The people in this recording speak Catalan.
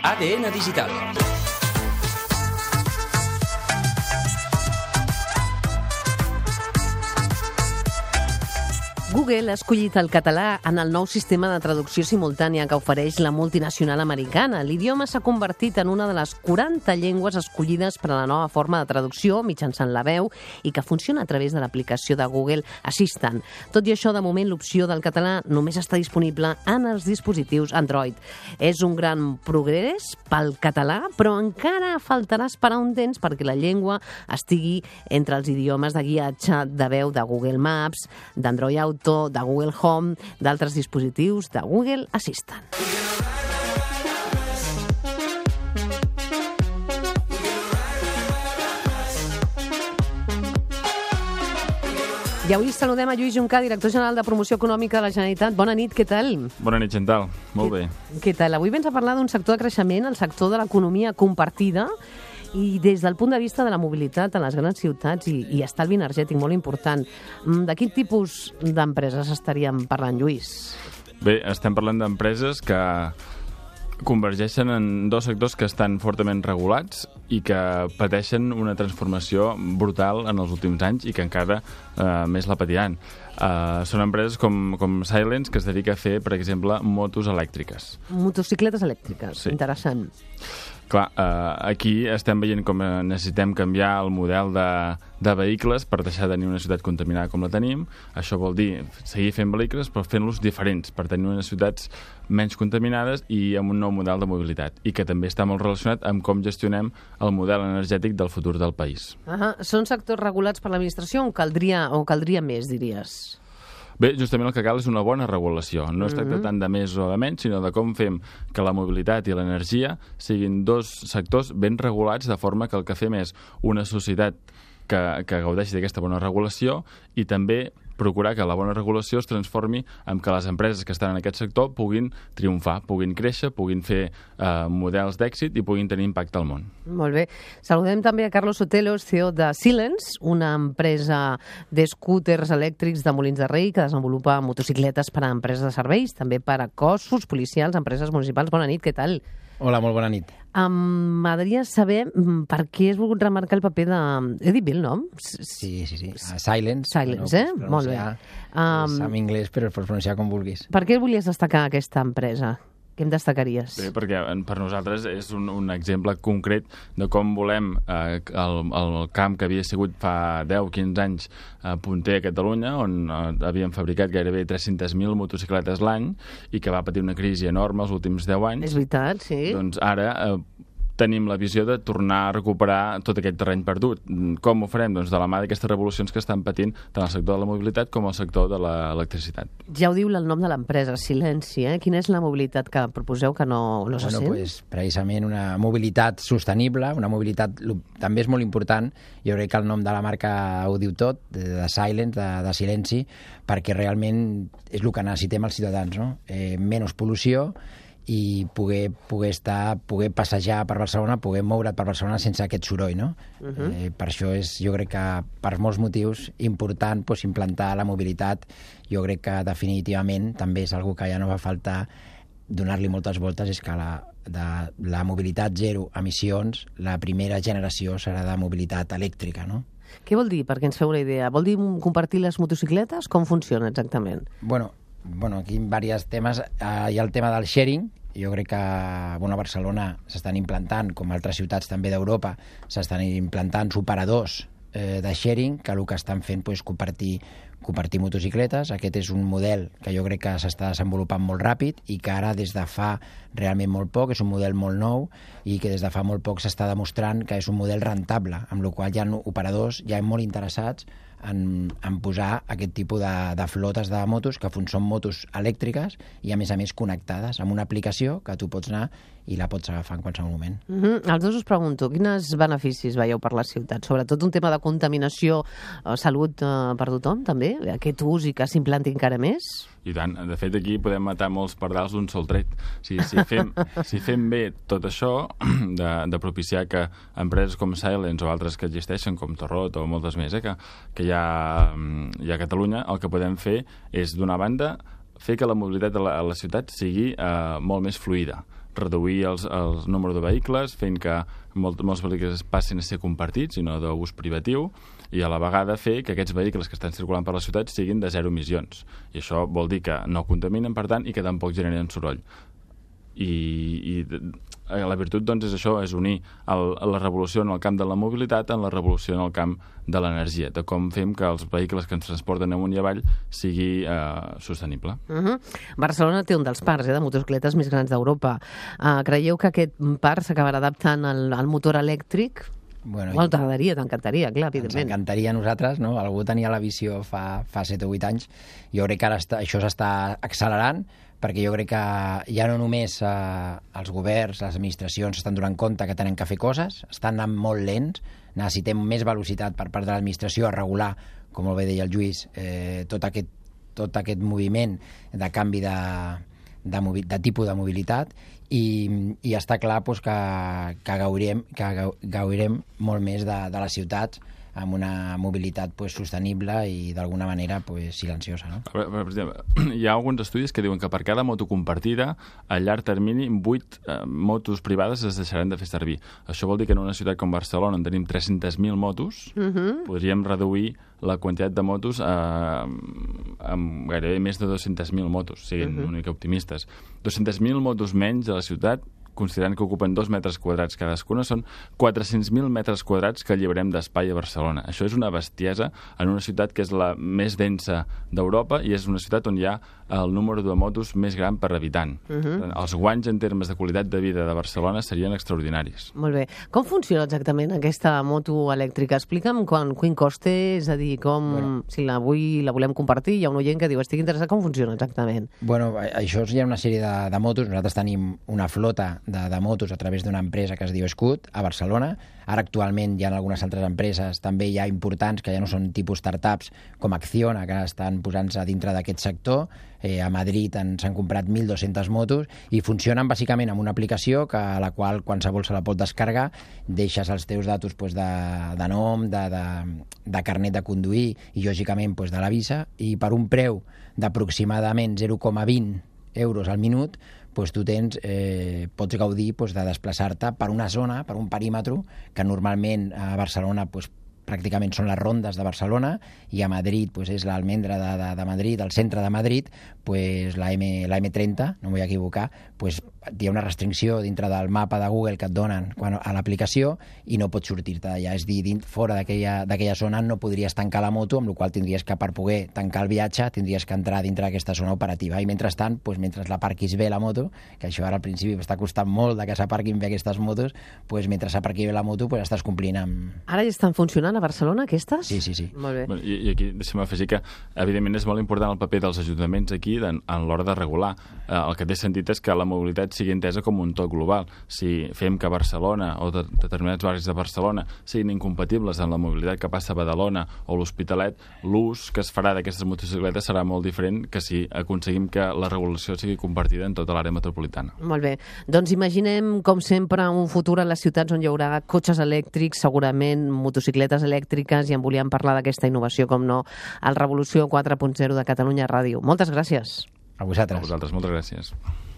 ADN Digital. Google ha escollit el català en el nou sistema de traducció simultània que ofereix la multinacional americana. L'idioma s'ha convertit en una de les 40 llengües escollides per a la nova forma de traducció mitjançant la veu i que funciona a través de l'aplicació de Google Assistant. Tot i això, de moment, l'opció del català només està disponible en els dispositius Android. És un gran progrés pel català, però encara faltarà esperar un temps perquè la llengua estigui entre els idiomes de guiatge de veu de Google Maps, d'Android Auto, de Google Home, d'altres dispositius de Google Assistant. I avui saludem a Lluís Juncà, director general de Promoció Econòmica de la Generalitat. Bona nit, què tal? Bona nit, Chantal. Molt bé. Què tal? Avui vens a parlar d'un sector de creixement, el sector de l'economia compartida, i des del punt de vista de la mobilitat a les grans ciutats i estalvi energètic molt important. De quin tipus d'empreses estaríem parlant, Lluís? Bé, estem parlant d'empreses que convergeixen en dos sectors que estan fortament regulats i que pateixen una transformació brutal en els últims anys i que encara més la patiran. Són empreses com Silence, que es dedica a fer, per exemple, motos elèctriques. Motocicletes elèctriques, sí. Interessant. Clar, aquí estem veient com necessitem canviar el model de vehicles per deixar de tenir una ciutat contaminada com la tenim. Això vol dir seguir fent vehicles però fent-los diferents per tenir unes ciutats menys contaminades i amb un nou model de mobilitat i que també està molt relacionat amb com gestionem el model energètic del futur del país. Són sectors regulats per l'administració o caldria més, diries? Bé, justament el que cal és una bona regulació. No es tracta tant de més o de menys, sinó de com fem que la mobilitat i l'energia siguin dos sectors ben regulats, de forma que el que fem és una societat que gaudeixi d'aquesta bona regulació i també procurar que la bona regulació es transformi en que les empreses que estan en aquest sector puguin triomfar, puguin créixer, puguin fer models d'èxit i puguin tenir impacte al món. Molt bé. Saludem també a Carlos Sotelo, CEO de Silence, una empresa d'escúters elèctrics de Molins de Rei que desenvolupa motocicletes per a empreses de serveis, també per a cossos policials, empreses municipals. Bona nit, què tal? Hola, molt bona nit. M'agradaria saber per què has volgut remarcar el paper de... He dit bé el nom? Sí. Silence. Silence, Molt bé. És en anglès, però es pot pronunciar com vulguis. Per què volies destacar aquesta empresa? Què em destacaries? Bé, perquè per nosaltres és un exemple concret de com volem el camp que havia sigut fa 10-15 anys punter a Catalunya, on havíem fabricat gairebé 300.000 motocicletes l'any i que va patir una crisi enorme els últims 10 anys. És veritat, sí. Doncs ara tenim la visió de tornar a recuperar tot aquest terreny perdut. Com ho farem? Doncs de la mà d'aquestes revolucions que estan patint tant el sector de la mobilitat com el sector de l'electricitat. Ja ho diu el nom de l'empresa, Silenci, Quina és la mobilitat que proposeu que no se sent? Pues, precisament una mobilitat sostenible, una mobilitat també és molt important. Jo crec que el nom de la marca ho diu tot, de Silence, de Silenci, perquè realment és el que necessitem els ciutadans, no? Menys pol·lució i poder passejar per Barcelona, poder moure't per Barcelona sense aquest soroll, no? Per això és, jo crec que per molts motius, important implantar la mobilitat. Jo crec que definitivament també és algo que ja no va faltar donar-li moltes voltes, és que la mobilitat zero emissions, la primera generació serà de mobilitat elèctrica, no? Què vol dir, perquè ens feu una idea? Vol dir compartir les motocicletes? Com funciona exactament? Bueno, aquí hi ha diversos temes. Hi ha el tema del sharing. Jo crec que a Barcelona s'estan implantant, com altres ciutats també d'Europa, s'estan implantant operadors de sharing, que el que estan fent és compartir motocicletes. Aquest és un model que jo crec que s'està desenvolupant molt ràpid i que ara des de fa realment molt poc, és un model molt nou i que des de fa molt poc s'està demostrant que és un model rentable, amb la qual hi ha operadors ja molt interessats en posar aquest tipus de flotes de motos que són motos elèctriques i a més connectades amb una aplicació que tu pots anar i la pots agafar en qualsevol moment. Els dos us pregunto, quins beneficis veieu per la ciutat? Sobretot un tema de contaminació, salut per tothom, també? Aquest ús i que s'implanti encara més? I tant. De fet, aquí podem matar molts pardals d'un sol tret. Si fem bé tot això, de propiciar que empreses com Silence o altres que existeixen, com Torrot o moltes més, que hi ha a Catalunya, el que podem fer és, d'una banda, fer que la mobilitat a la ciutat sigui molt més fluida. reduir el número de vehicles, fent que molts vehicles passin a ser compartits i no d'ús privatiu, i a la vegada fer que aquests vehicles que estan circulant per la ciutat siguin de zero emissions. I això vol dir que no contaminen, per tant, i que tampoc generen soroll. I la virtut, doncs, és això, és unir la revolució en el camp de la mobilitat en la revolució en el camp de l'energia, de com fem que els vehicles que ens transporten amunt i avall sigui sostenible. Barcelona té un dels parcs de motocicletes més grans d'Europa. Creieu que aquest parc s'acabarà adaptant al motor elèctric? Bueno, t'encantaria, clar, evidentment. Ens encantaria a nosaltres, no? Algú tenia la visió fa 7 o 8 anys. Jo crec que ara això s'està accelerant, perquè jo crec que ja no només els governs, les administracions s'estan donant compte que tenen que fer coses, estan anant molt lents, necessitem més velocitat per part de l'administració a regular, com molt bé deia el Lluís, tot aquest moviment de canvi de tipus de mobilitat, i està clar doncs, que gaudirem molt més de les ciutats amb una mobilitat sostenible i d'alguna manera silenciosa. No? Per exemple, hi ha alguns estudis que diuen que per cada moto compartida, a llarg termini, 8 motos privades es deixaran de fer servir. Això vol dir que en una ciutat com Barcelona, on tenim 300.000 motos, podríem reduir la quantitat de motos amb gairebé més de 200.000 motos, siguin una mica optimistes. 200.000 motos menys a la ciutat, considerant que ocupen 2 metres quadrats cadascuna, són 400.000 metres quadrats que alliberem d'espai a Barcelona. Això és una bestiesa en una ciutat que és la més densa d'Europa i és una ciutat on hi ha el número de motos més gran per habitant. Els guanys en termes de qualitat de vida de Barcelona serien extraordinaris. Molt bé. Com funciona exactament aquesta moto elèctrica? Explica'm quin cost té, és a dir, si la volem compartir, hi ha un oient que diu estic interessat, com funciona exactament? Bueno, això hi ha una sèrie de motos. Nosaltres tenim una flota de motos a través d'una empresa que es diu Scoot a Barcelona. Ara actualment hi ha algunes altres empreses també ja importants que ja no són tipus startups com Acciona, que estan posant-se dintre d'aquest sector. A Madrid s'han comprat 1.200 motos i funcionen bàsicament amb una aplicació a la qual qualsevol se la pot descarregar, deixes els teus datos de nom, de carnet de conduir i lògicament de la visa, i per un preu d'aproximadament 0,20 euros al minut tu pots gaudir de desplaçar-te per una zona, per un perímetre, que normalment a Barcelona pràcticament són les rondes de Barcelona, i a Madrid és l'Almendra de Madrid, el centre de Madrid, la M30, no m'ho vull equivocar, hi ha una restricció dintre del mapa de Google que et donen a l'aplicació i no pots sortir-te d'allà. És a dir, fora d'aquella zona no podries tancar la moto, amb la qual tindries que, per poder tancar el viatge, tindries que entrar dintre d'aquesta zona operativa. I mentrestant, mentre l'aparquis bé la moto, que això ara al principi està costant molt que s'aparquin bé aquestes motos, mentre s'aparqui bé la moto estàs complint amb... Ara ja estan funcionant a Barcelona, aquestes? Sí. Molt bé. I aquí deixa'm afegir que, evidentment, és molt important el paper dels ajuntaments aquí en l'hora de regular. El que té sentit és que la mobilitat sigui entesa com un tot global. Si fem que Barcelona o determinats barris de Barcelona siguin incompatibles amb la mobilitat que passa a Badalona o l'Hospitalet, l'ús que es farà d'aquestes motocicletes serà molt diferent que si aconseguim que la regulació sigui compartida en tota l'àrea metropolitana. Molt bé. Doncs imaginem, com sempre, un futur a les ciutats on hi haurà cotxes elèctrics, segurament motocicletes elèctriques, i en volíem parlar d'aquesta innovació, com no, al Revolució 4.0 de Catalunya Ràdio. Moltes gràcies. A vosaltres. A vosaltres, moltes gràcies.